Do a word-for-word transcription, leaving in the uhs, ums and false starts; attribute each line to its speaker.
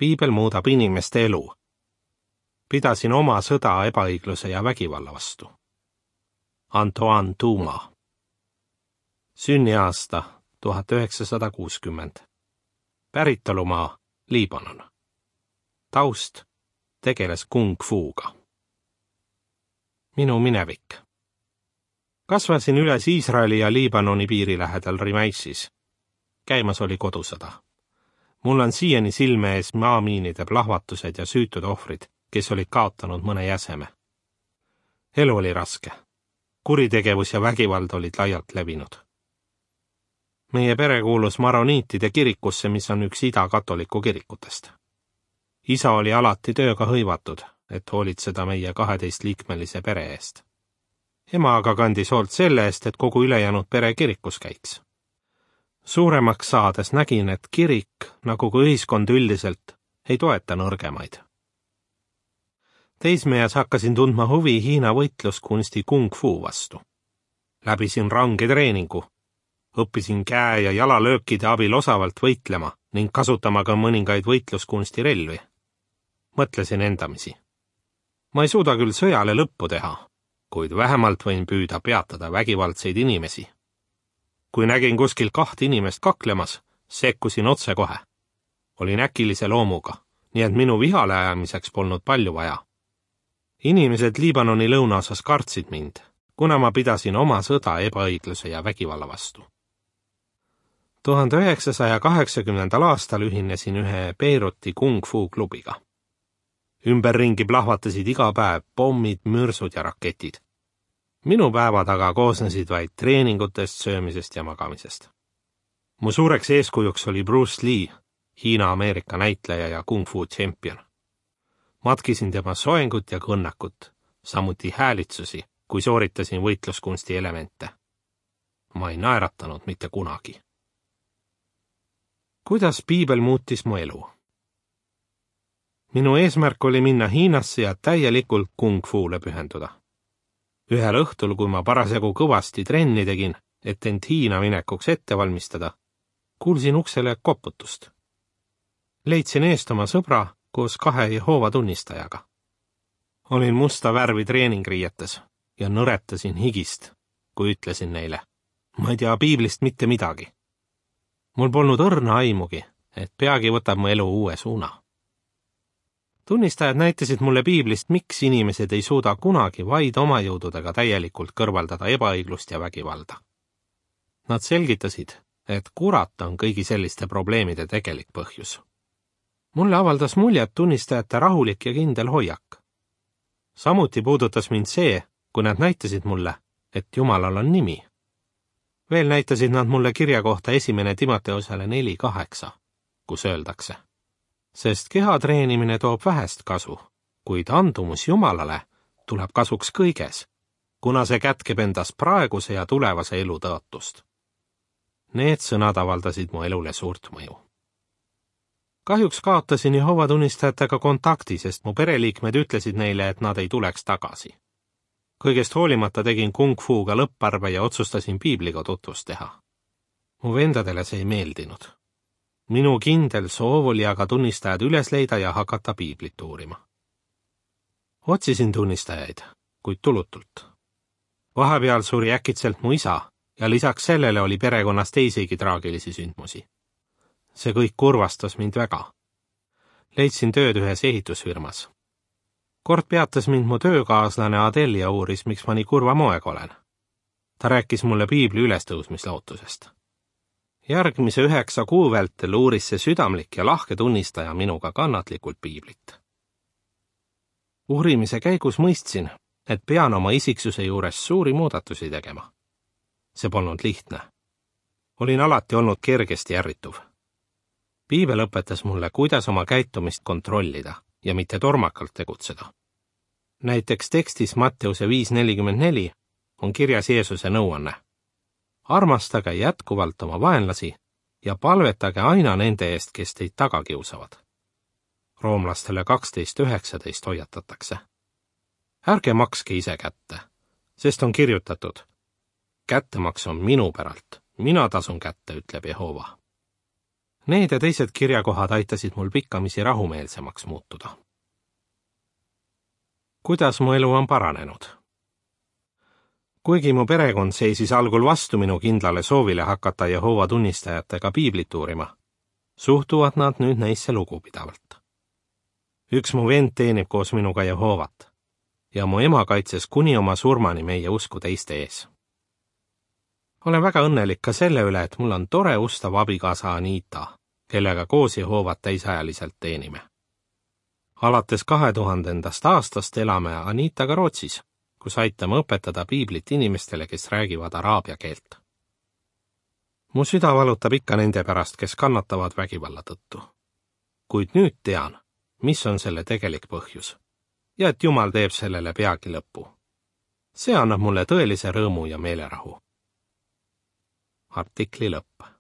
Speaker 1: piibel muudab inimeste elu. Pidasin oma sõda ebaõigluse ja vägivalla vastu. Antoine Dumas. Sünniaasta tuhat üheksasada kuuskümmend. Päritolumaa Liibanon. Taust tegeles kung fuuga. Minu minevik. Kasvasin üles Iisraeli ja Liibanoni piiri lähedal Rimaissis. Käimas oli kodusõda. Mul on siiani silme ees maamiinide plahvatused ja süütud ohvrid, kes olid kaotanud mõne jäseme. Elu oli raske. Kuritegevus ja vägivald olid laialt levinud. Meie pere kuulus maroniitide kirikusse, mis on üks ida-katoliku kirikutest. Isa oli alati tööga hõivatud, et hoolitseda meie kaheteistliikmelise pere eest. Ema aga kandis hoolt selle eest, et kogu ülejäänud pere kirikus käiks. Suuremaks saades nägin, et kirik, nagu ka ühiskond üldiselt, ei toeta nõrgemaid. Teismees hakkasin tundma huvi Hiina võitluskunsti kung fu vastu. Läbisin range treeningu. Õppisin käe- ja jalalöökide abil osavalt võitlema ning kasutama ka mõningaid võitluskunsti relvi. Mõtlesin endamisi. Ma ei suuda küll sõjale lõppu teha, kuid vähemalt võin püüda peatada vägivaldseid inimesi. Kui nägin kuskil kaht inimest kaklemas, sekkusin otse kohe. Olin äkilise loomuga, nii et minu vihale ajamiseks polnud palju vaja. Inimesed Liibanoni lõunaosas kartsid mind, kuna ma pidasin oma sõda ebaõigluse ja vägivalla vastu. tuhande üheksasaja kaheksakümnendal aastal ühinesin ühe Beiruti kung fu klubiga. Ümberringi plahvatasid iga päev pommid, mürsud ja raketid. Minu päevad aga koosnesid vaid treeningutest, söömisest ja magamisest. Mu suureks eeskujuks oli Bruce Lee, Hiina-Ameerika näitleja ja kung fu tšempion. Matkisin tema soengut ja kõnnakut, samuti häälitsusi, kui sooritasin võitluskunsti elemente. Ma ei naeratanud mitte kunagi. Kuidas piibel muutis mu elu? Minu eesmärk oli minna Hiinasse ja täielikult kung fuule pühenduda. Ühel õhtul, kui ma parasjagu kõvasti trenni tegin, et end Hiina minekuks ette valmistada, kuulsin uksele koputust. Leidsin eest oma sõbra koos kahe Jehoova tunnistajaga. Olin musta värvi treeningriietes ja nõretasin higist, kui ütlesin neile, ma ei tea piiblist mitte midagi. Mul polnud õrna aimugi, et peagi võtab mu elu uue suuna. Tunnistajad näitasid mulle piiblist, miks inimesed ei suuda kunagi vaid oma jõududega täielikult kõrvaldada ebaõiglust ja vägivalda. Nad selgitasid, et kurat on kõigi selliste probleemide tegelik põhjus. Mulle avaldas muljet tunnistajate rahulik ja kindel hoiak. Samuti puudutas mind see, kui nad näitasid mulle, et Jumalal on nimi. Veel näitasid nad mulle kirja kohta esimene Timoteusele neli kaheksa, kus öeldakse, sest keha treenimine toob vähest kasu, kuid andumus Jumalale tuleb kasuks kõiges, kuna see kätkeb endas praeguse ja tulevase elu tõotust. Need sõnad avaldasid mu elule suurt mõju. Kahjuks kaotasin Jehova tunnistajatega kontakti, sest mu pereliikmed ütlesid neile, et nad ei tuleks tagasi. Kõigest hoolimata tegin kung fuuga lõpparve ja otsustasin piibliga tutvust teha. Mu vendadele see ei meeldinud. Minu kindel soov oli aga tunnistajad üles leida ja hakata piiblit uurima. Otsisin tunnistajaid, kuid tulutult. Vahepeal suri äkitselt mu isa ja lisaks sellele oli perekonnas teisigi traagilisi sündmusi. See kõik kurvastas mind väga. Leidsin tööd ühes ehitusfirmas. Kord peatas mind mu töökaaslane Adel ja uuris, miks ma nii kurva moega olen. Ta rääkis mulle piibli ülestõusmislootusest. Järgmise üheksa kuu vältel uuris see südamlik ja lahke tunnistaja minuga kannatlikult piiblit. Uurimise käigus mõistsin, et pean oma isiksuse juures suuri muudatusi tegema. See polnud lihtne. Olin alati olnud kergesti ärrituv. Piibel õpetas mulle, kuidas oma käitumist kontrollida ja mitte tormakalt tegutseda. Näiteks tekstis Matteuse viis nelikümmend neli on kirjas Jeesuse nõuanne. Armastage jätkuvalt oma vaenlasi ja palvetage aina nende eest, kes teid taga kiusavad. Roomlastele kaksteist üheksateist hoiatatakse. Ärge makske ise kätte, sest on kirjutatud, kättemaks on minu päralt, mina tasun kätte, ütleb Jehova. Need ja teised kirjakohad aitasid mul pikkamisi rahumeelsemaks muutuda. Kuidas mu elu on paranenud? Kuigi mu perekond seisis algul vastu minu kindlale soovile hakata Jehoova tunnistajatega piiblit uurima, suhtuvad nad nüüd neisse lugupidavalt. Üks mu vend teenib koos minuga Jehoovat ja mu ema kaitses kuni oma surmani meie usku teiste ees. Olen väga õnnelik ka selle üle, et mul on tore ustav abikaasa Anita, kellega koos Jehoovat täisajaliselt teenime. Alates kahe tuhandendast aastast elame Anitaga Rootsis, kus aitame õpetada piiblit inimestele, kes räägivad araabia keelt. Mu süda valutab ikka nende pärast, kes kannatavad vägivalla tõttu. Kuid nüüd tean, mis on selle tegelik põhjus ja et Jumal teeb sellele peagi lõpu. See annab mulle tõelise rõõmu ja meelerahu. Artikli lõpp.